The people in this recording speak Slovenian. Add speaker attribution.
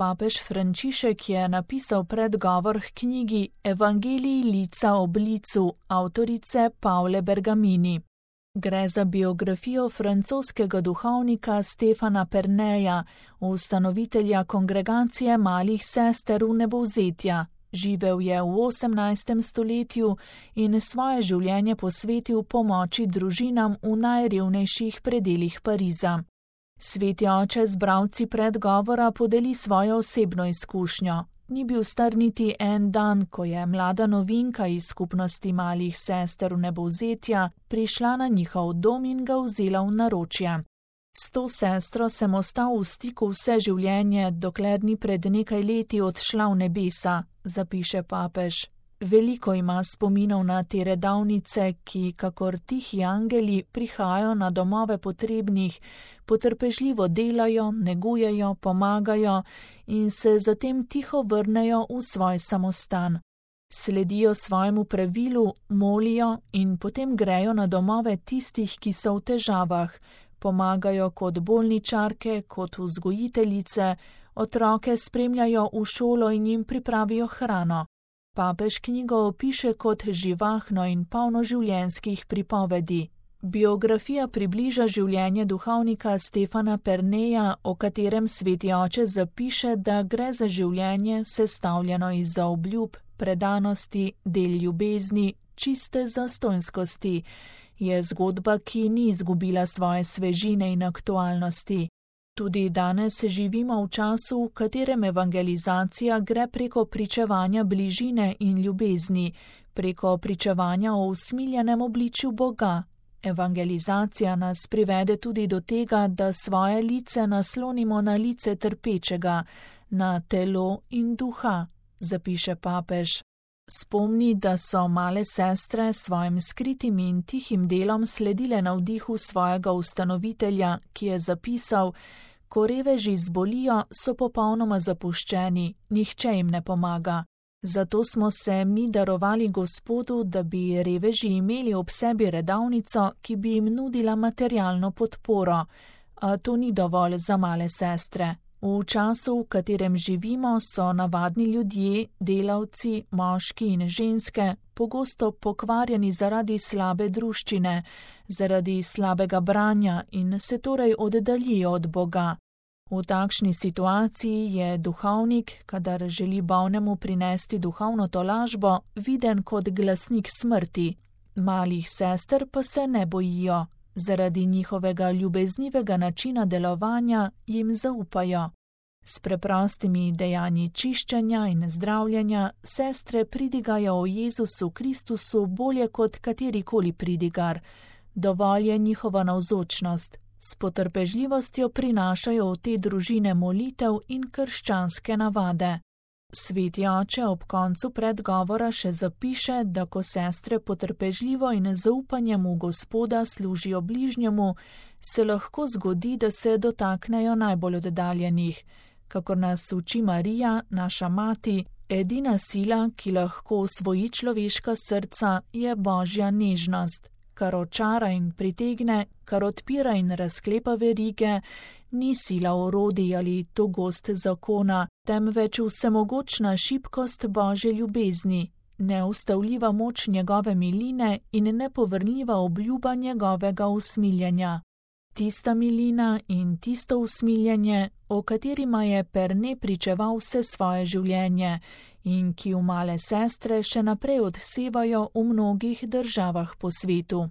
Speaker 1: Papež Frančišek je napisal predgovor k knjigi Evangeliji lica ob licu avtorice Paule Bergamini. Gre za biografijo francoskega duhovnika Stefana Perneja, ustanovitelja kongregacije malih sester v Nebovzetja. Živel je v 18. stoletju in svoje življenje posvetil pomoči družinam v najrevnejših predelih Pariza. Sveti oče z bralci predgovora podeli svojo osebno izkušnjo. Ni bil star niti en dan, ko je mlada novinka iz skupnosti malih sester v Nebovzetja prišla na njihov dom in ga vzela v naročje. S to sestro sem ostal v stiku vse življenje, dokler ni pred nekaj leti odšla v nebesa, zapiše papež. Veliko ima spominov na te redavnice, ki, kakor tihi angeli, prihajajo na domove potrebnih, potrpežljivo delajo, negujejo, pomagajo in se zatem tiho vrnejo v svoj samostan. Sledijo svojemu pravilu, molijo in potem grejo na domove tistih, ki so v težavah, pomagajo kot bolničarke, kot vzgojiteljice, otroke spremljajo v šolo in jim pripravijo hrano. Papež knjigo opiše kot živahno in polno življenjskih pripovedi. Biografija približa življenje duhovnika Stefana Perneja, o katerem sveti oče zapiše, da gre za življenje sestavljeno iz zaobljub, predanosti, del ljubezni, čiste zastonjskosti. Je zgodba, ki ni izgubila svoje svežine in aktualnosti. Tudi danes živimo v času, v katerem evangelizacija gre preko pričevanja bližine in ljubezni, preko pričevanja o usmiljenem obličju Boga. Evangelizacija nas privede tudi do tega, da svoje lice naslonimo na lice trpečega, na telo in duha, zapiše papež. Spomni, da so male sestre s svojim skritim in tihim delom sledile navdihu svojega ustanovitelja, ki je zapisal: ko reveži zbolijo, so popolnoma zapuščeni, nihče jim ne pomaga. Zato smo se mi darovali Gospodu, da bi reveži imeli ob sebi redavnico, ki bi jim nudila materialno podporo. A to ni dovolj za male sestre. V času, v katerem živimo, so navadni ljudje, delavci, moški in ženske, pogosto pokvarjeni zaradi slabe druščine, zaradi slabega branja in se torej oddaljijo od Boga. V takšni situaciji je duhovnik, kadar želi bolnemu prinesti duhovno tolažbo, viden kot glasnik smrti. Malih sester pa se ne bojijo. Zaradi njihovega ljubeznivega načina delovanja jim zaupajo. S preprostimi dejanji čiščenja in zdravljenja sestre pridigajo o Jezusu Kristusu bolje kot katerikoli pridigar. Dovolj je njihova navzočnost. S potrpežljivostjo prinašajo v te družine molitev in krščanske navade. Sveti oče ob koncu predgovora še zapiše, da ko sestre potrpežljivo in zaupanjem v Gospoda služijo bližnjemu, se lahko zgodi, da se dotaknejo najbolj oddaljenih. Kakor nas uči Marija, naša mati, edina sila, ki lahko osvoji človeška srca, je Božja nežnost. Kar očara in pritegne, kar odpira in razklepa verige, ni sila orodij ali togost zakona, temveč vsemogočna šibkost Božje ljubezni, neustavljiva moč njegove miline in nepovrnljiva obljuba njegovega usmiljenja. Tista milina in tisto usmiljenje, o katerima je Perne pričeval vse svoje življenje in ki v male sestre še naprej odsevajo v mnogih državah po svetu.